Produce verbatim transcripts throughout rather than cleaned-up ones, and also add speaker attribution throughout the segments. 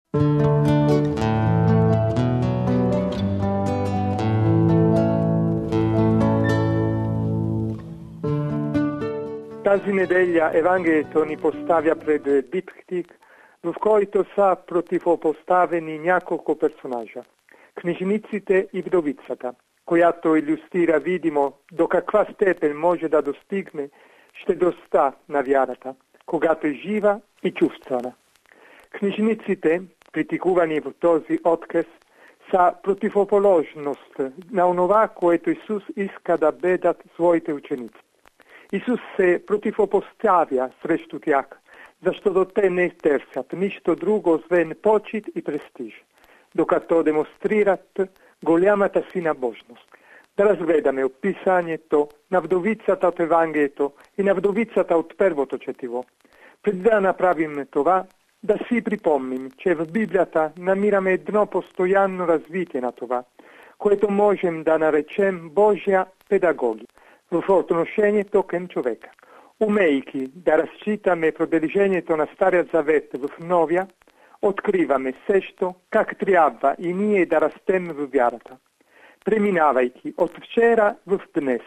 Speaker 1: Тази неделя Евангелието ни поставя пред диптих, в който са противопоставени няколко персонажа. Книжниците и вдовицата, която илюстрира видимо до каква степен може да достигне щедростта на вярата, когато е жива и чувствена. Книжниците, критикувани в този отказ, са противоположност на онова, което Исус иска да бъдат своите ученици. Исус се противопоставя срещу тях, защото те не търсят нищо друго, освен почит и престиж, докато демонстрират голямата си набожност. Да разгледаме описанието на вдовицата от Евангелието и на вдовицата от първото четиво. Преди да направим това, да си припомним, че в Библията намираме едно постоянно развитие на това, което можем да наречем Божия педагогия в отношението към човека. Умейки да разчитаме продължението на Стария Завет в Новия, откриваме също как трябва и ние да растем в вярата. Преминавайки от вчера в днес,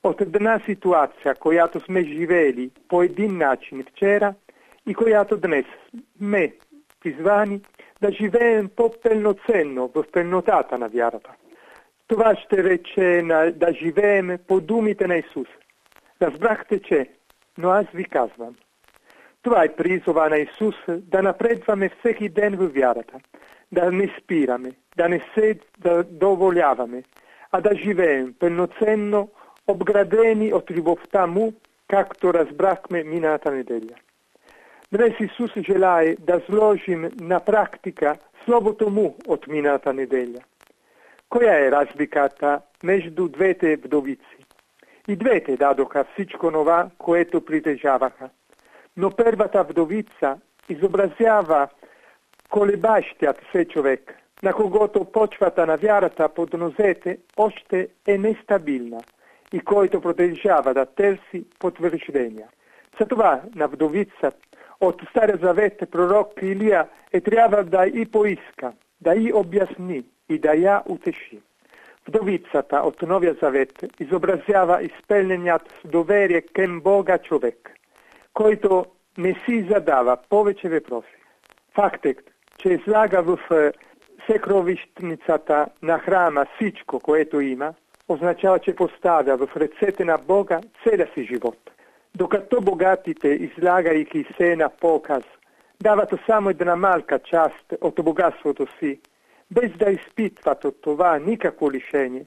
Speaker 1: от една ситуация, която сме живели по един начин вчера и която днес сме призвани да живеем по-пълноценно в пълнотата на вярата. Това ще рече на, да живеем по думите на Исус. Разбрахте, че, но аз ви казвам. Това е призова на Исус да напредваме всеки ден в вярата, да не спираме, да не се задоволяваме, а да живеем пълноценно, обградени от любовта Му, както разбрахме миналата неделя. Днес Исус желае да сложим на практика словото Му от миналата неделя. Коя е разликата между двете вдовици? И двете дадоха всичко това, което притежаваха. Но първата вдовица изобразява колебащият се човек, на когото почвата на вярата под нозете още е нестабилна и който продължава да търси потвърждения. Затова на вдовица от Стария Завет пророк Илия е трябва да и поиска, да и обясни и да я утеши. Вдовицата от Новия Завет изобразява изпълненият с доверие към Бога човек, който не си задава повече въпроси. Фактът, че излага в съкровищницата на храма всичко, което има, означава, че поставя в ръцете на Бога целия си живот. Докато богатите, излагайки се на показ, дават само една малка част от богатството си, без да изпитват от това никакво лишение,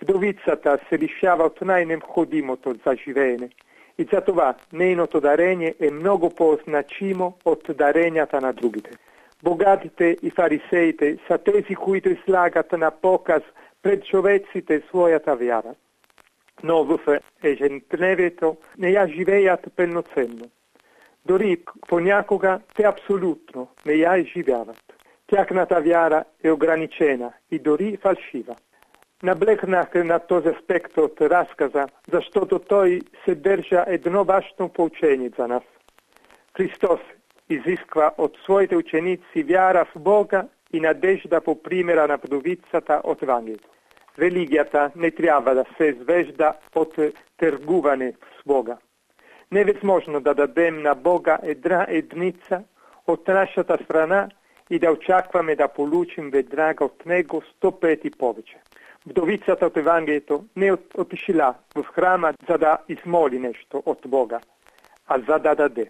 Speaker 1: вдовицата се лишава от най-необходимото за живеене. И за това нейното дарение е много по-значимо от даренията на другите. Богатите и фарисеите са тези, които излагат на показ пред човеците своята вяра. Но в ежедневието не я живеят пълноценно. Дори понякога те абсолютно не я изживяват. Тяхната вяра е ограничена и дори фалшива. Наблегнах на този аспект от разказа, защото той съдържа едно важно поучение за нас. Христос изисква от своите ученици вяра в Бога и надежда по примера на вдовицата от Евангелието. Религията не трябва да се извежда от търгуване с Бога. Невъзможно да дадем на Бога една единица от нашата страна и да очакваме да получим веднага от Него сто пъти повече. Вдовицата от Евангелието не е отишла в храма, за да измоли нещо от Бога, а за да даде.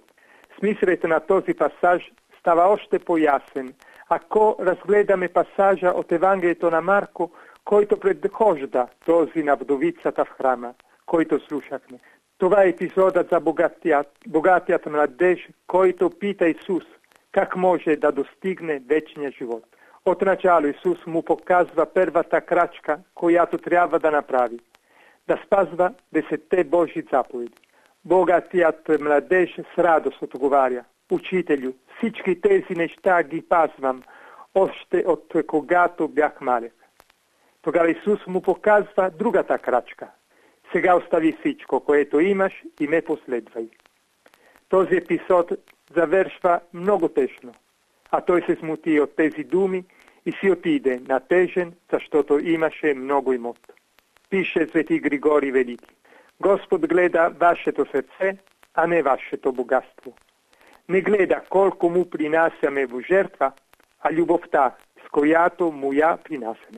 Speaker 1: Смисълът на този пасаж става още по-ясен, ако разгледаме пасажа от Евангелието на Марко, който предхожда този на вдовицата в храма, който слушахме. Това е епизодът за богатият, богатият младеж, който пита Исус как може да достигне вечния живот. Отначало Исус му показва първата крачка, която трябва да направи. Да спазва десетте Божи заповеди. Богатият младеж с радост отговаря: Учителю, всички тези неща ги пазвам, още от когато бях малък. Тогава Исус му показва другата крачка. Сега остави всичко, което имаш, и ме последвай. Този епизод завършва много тъжно. a той се смути от тези думи и си отиде натежен, защото имаше много имот. Пише свети Григорий Велики: Господ гледа вашето сърце, а не вашето богатство. Не гледа колко му принасяме в жертва, а любовта, с която му я принасяме.